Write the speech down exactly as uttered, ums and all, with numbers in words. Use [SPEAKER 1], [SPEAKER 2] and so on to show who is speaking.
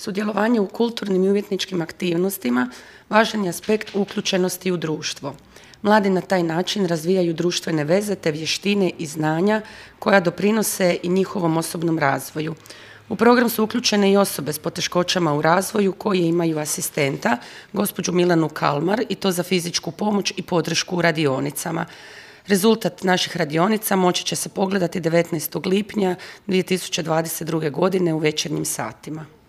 [SPEAKER 1] Sudjelovanje u kulturnim i umjetničkim aktivnostima važan je aspekt uključenosti u društvo. Mladi na taj način razvijaju društvene veze te vještine i znanja koja doprinose i njihovom osobnom razvoju. U program su uključene i osobe s poteškoćama u razvoju koje imaju asistenta, gospođu Milanu Kalmar, i to za fizičku pomoć i podršku u radionicama. Rezultat naših radionica moći će se pogledati devetnaestog lipnja dvije tisuće dvadeset druge. godine u večernjim satima.